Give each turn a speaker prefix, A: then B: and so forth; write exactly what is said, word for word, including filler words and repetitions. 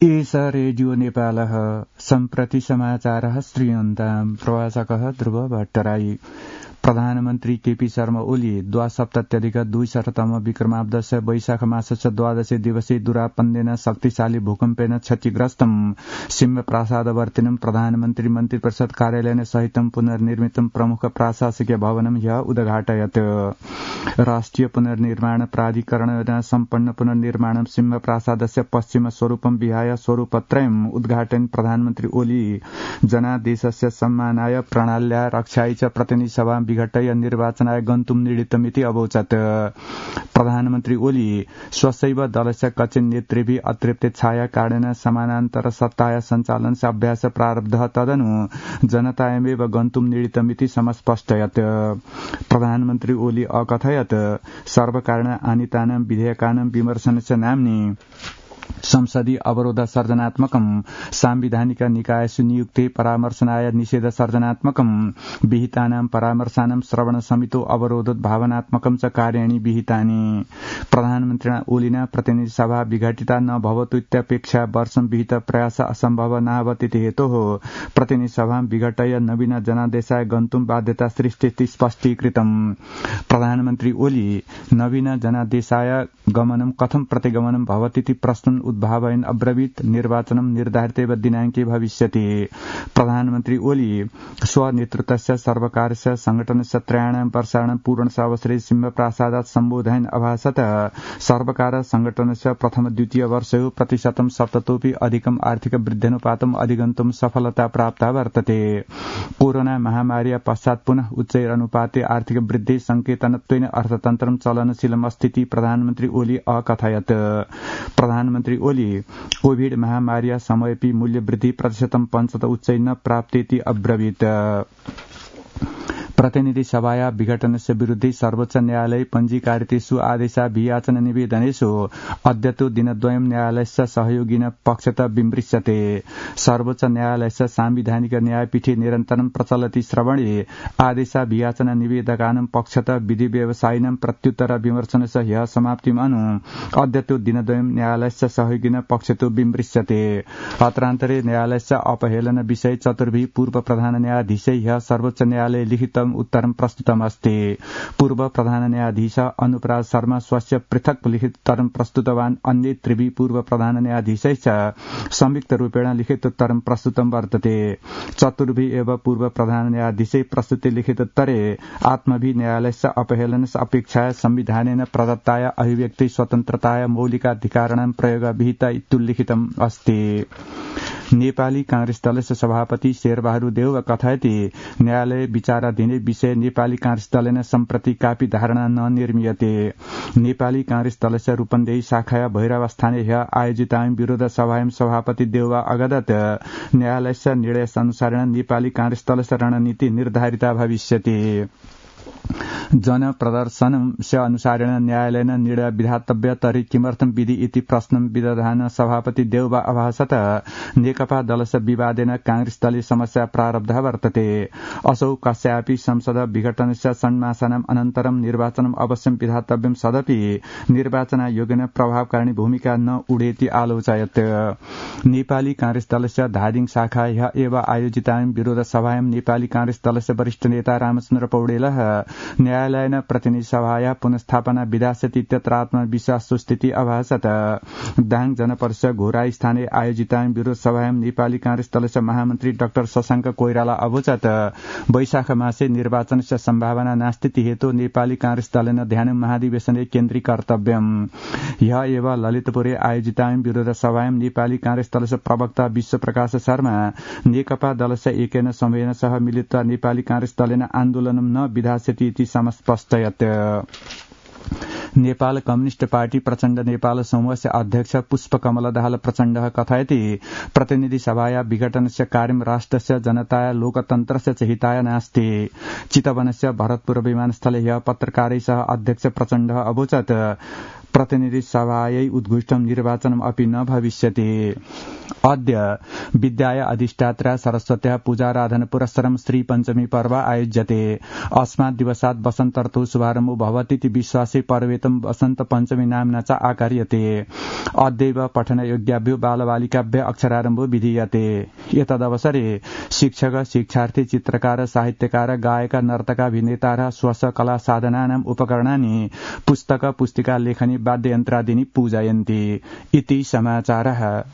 A: एष रेडियो नेपालः सम्प्रति समाचारः श्रूयन्ताम् प्रवाचकः ध्रुव भट्टराई। प्रधानमन्त्री केपी शर्मा ओली द्वासप्तत्यधिक द्विशततम विक्रमाब्दश वैशाख मासस्य द्वादशे दिवसे दुरापन्देन शक्तिशाली भूकम्पेन क्षतिग्रस्तम् सिंहप्रासादवर्तिनं प्रधानमन्त्री मन्त्री परिषद कार्यालयेन सहितं पुनर्निर्मितं प्रमुख प्राशासकीय भवनं ह्यः उद्घाटयत्। राष्ट्रिय पुनर्निर्माण प्राधिकरणेन सम्पन्न पुनर्निर्माणं सिंहप्रासादस्य पश्चिम स्वरूपं विहाय स्वरूपत्रयम् उद्घाटयन् प्रधानमन्त्री ओली जनादेशस्य सम्मानाय प्रणाल्या रक्षायै च प्रतिनिधिसभा विघटय निर्वाचनाय गन्तुं निडितमिति अवोचत्। प्रधानमन्त्री ओली स्वसैव दलस्य कच्चिन् नेतृभिः अतृप्ते छाया कारणेन समानान्तर सत्ताया सञ्चालनस्य अभ्यास प्रारब्धः तदनु जनतायमेव गन्तुं निडितमिति समस्पष्टयत्। प्रधानमन्त्री ओली अकथयत् सर्वकारेण आनीतानां विधेयकानां विमर्शनस्य नाम्नि संसदीय अवरोध सर्जनात्मकं सांविधानिक निकायसु नियुक्ते परामर्शनाय निषेध सर्जनात्मकं विहितानां परामर्शानां श्रवण समितो अवरोधोत् भावनात्मकं च कार्याणि विहितानि। प्रधानमन्त्रिणा ओलिना प्रतिनिधि सभा विघटिता न भवतु इत्यपेक्षा वर्षं विहित प्रयास असम्भव नाभवतीति हेतोः प्रतिनिधि सभा विघटय नवीन जनादेशाय गन्तुं बाध्यता सृष्टिति स्पष्टीकृतम्। प्रधानमन्त्री ओली नवीन जनादेशाय गमनं कथं प्रतिगमनं भवतीति प्रश्न उद्भावयन् अब्रवीत् निर्वाचनं निर्धारितेव दिनाङ्के भविष्यति। प्रधानमन्त्री ओली स्वनेतृत्वस्य सर्वकारस्य संघटनस्य त्रयाणां वर्षाणां पूर्णसावसरे सिंहप्रासादात् सम्बोधयन् अभाषत सर्वकार संघटनस्य प्रथम द्वितीय वर्षयोः प्रतिशतं सप्ततोऽपि अधिकम् आर्थिक वृद्ध्यनुपातम् अधिगन्तुं सफलता प्राप्ता वर्तते। कोरोना महामार्या पश्चात् पुनः उच्चैरनुपाते आर्थिक वृद्धि संकेतनत्वेन अर्थतन्त्रं चलनशीलमस्तीति प्रधानमन्त्री ओली अकथयत्। प्रधानमन्त्री ओली कोविड महामार्या समयेपि मूल्यवृद्धि प्रतिशतं पञ्चत उच्चै न प्राप्तेति अब्रवीत्। प्रतिनिधि सभाया विघटनस्य विरुद्धे सर्वोच्च न्यायालये पञ्जीकारितेषु आदेशाभियाचन निवेदनेषु अद्यतो दिनद्वयं न्यायालयस्य सहयोगिन पक्षतः विमृश्यते। सर्वोच्च न्यायालयस्य सांविधानिक न्यायपीठे निरन्तरं प्रचलति श्रवणे आदेशाभियाचन निवेदकानां पक्षतः विधि व्यवसायिनां प्रत्युत्तर विमर्शनस्य ह्यः समाप्तिम् अनु अद्यतो दिनद्वयं न्यायालयस्य सहयोगिन पक्षतो विमृश्यते। अत्रान्तरे न्यायालयस्य अपहेलन विषये चतुर्भिः पूर्व प्रधान न्यायाधीशै ह्यः सर्वोच्च न्यायालये लिखित उत्तरं प्रस्तुतमस्ति। पूर्व प्रधान न्यायाधीश अनुपराज शर्मा स्वस्य पृथक् लिखित उत्तरं प्रस्तुतवान्। अन्ये त्रिभिः पूर्व प्रधान न्यायाधीशै च संयुक्त रूपेण लिखित उत्तरं प्रस्तुतं वर्तते। चतुर्भिः एव पूर्व प्रधान न्यायाधीशै प्रस्तुते लिखित उत्तरे आत्मभिः न्यायालयस्य अपहेलनस्य अपेक्षया संविधानेन प्रदत्ताय अभिव्यक्ति स्वतन्त्रताय मौलिकाधिकाराणां प्रयोग विहिता इत्युल्लिखितम् अस्ति। नेपाली कांग्रेस दलस्य सभापति शेरबहादुर देउवा कथयति न्यायालय विचाराधीने विषय नेपाली कांग्रेस दलेन सम्प्रति कापि धारणा न निर्मीयते। नेपाली कांग्रेस दलस्य रूपन्देही शाखाया भैरवस्थाने ह्यः आयोजितायां विरोध सभायां सभापति देउवा अगदत् न्यायालयस्य निर्णयानुसारेण नेपाली कांग्रेस दलस्य रणनीति निर्धारिता भविष्यति। जन प्रदर्शनस्य अनुसारेण न्यायालयेन निर्णय विधातव्य तर्हि किमर्थं विधि इति प्रश्नं विदधान सभापति देउवा अभाषत नेकपा दलस्य विवादेन कांग्रेस दलीय समस्या प्रारब्धः वर्तते। असौ कस्यापि संसद विघटनस्य षण्मासानाम् अनन्तरं निर्वाचनम् अवश्यं विधातव्यं सदपि निर्वाचनायोगेन प्रभावकारिणी भूमिका न उडेति आलोचयत्। नेपाली कांग्रेस दलस्य धादिङ शाखा ह्यः एव आयोजितायां विरोध सभायां नेपाली कांग्रेस दलस्य वरिष्ठ नेता रामचन्द्र पौडेलः न्यायालयेन प्रतिनिधि सभाया पुनस्थापना विधास्यति इत्यत्र आत्मविश्वास सुस्थिति अभाषत। दाङ जनपरिषद घोराई स्थाने आयोजितायां विरोध सभायां नेपाली कांग्रेस दलस्य महामन्त्री डाक्टर शशाङ्क कोइराला अवोचत् वैशाख मासे निर्वाचनस्य सम्भावना नास्ति हेतु नेपाली कांग्रेस दलेन ध्यानं महाधिवेशने केन्द्रीकर्तव्यम्। ह्यः एव ललितपुरे आयोजितायां विरोध सभायां नेपाली कांग्रेस दलस्य प्रवक्ता विश्वप्रकाश शर्मा नेकपा दलस्य एकेन समूहेन सह मिलित्वा नेपाली कांग्रेस दलेन आन्दोलनं न विधास्यति इति समस्पष्टयत्। नेपाल कम्युनिस्ट पार्टी प्रचण्ड नेपाल समूहस्य अध्यक्ष पुष्पकमल दाहाल प्रचण्डः कथयति प्रतिनिधि सभाया विघटनस्य कार्यं राष्ट्रस्य जनताय लोकतन्त्रस्य च हिताय नास्ति। चितवनस्य भरतपुर विमानस्थले ह्यः पत्रकारैः सह अध्यक्ष प्रचण्डः अवोचत् प्रतिनिधि सभायै उद्घुष्टं निर्वाचनम् अपि न भविष्यति। अद्य विद्याय अधिष्ठात्रा सरस्वत्या पूजाराधन पुरस्सरं श्री पञ्चमी पर्व आयोज्यते। अस्मात् दिवसात् वसन्त ऋतु शुभारम्भो भवतीति विश्वासे पर्वेतं वसन्त पञ्चमी नाम्ना च आकार्यते। अद्यैव पठनयोग्याभ्यो बालबालिकाभ्य अक्षरारम्भो विधीयते। एतदवसरे शिक्षक, शिक्षार्थी, चित्रकार, साहित्यकार, गायक, नर्तक, अभिनेता र स्वस कला साधनानाम् उपकरणानि पुस्तक, पुस्तिका, लेखनी, वाद्ययन्त्रादीनि पूजयन्ति। इति समाचारः।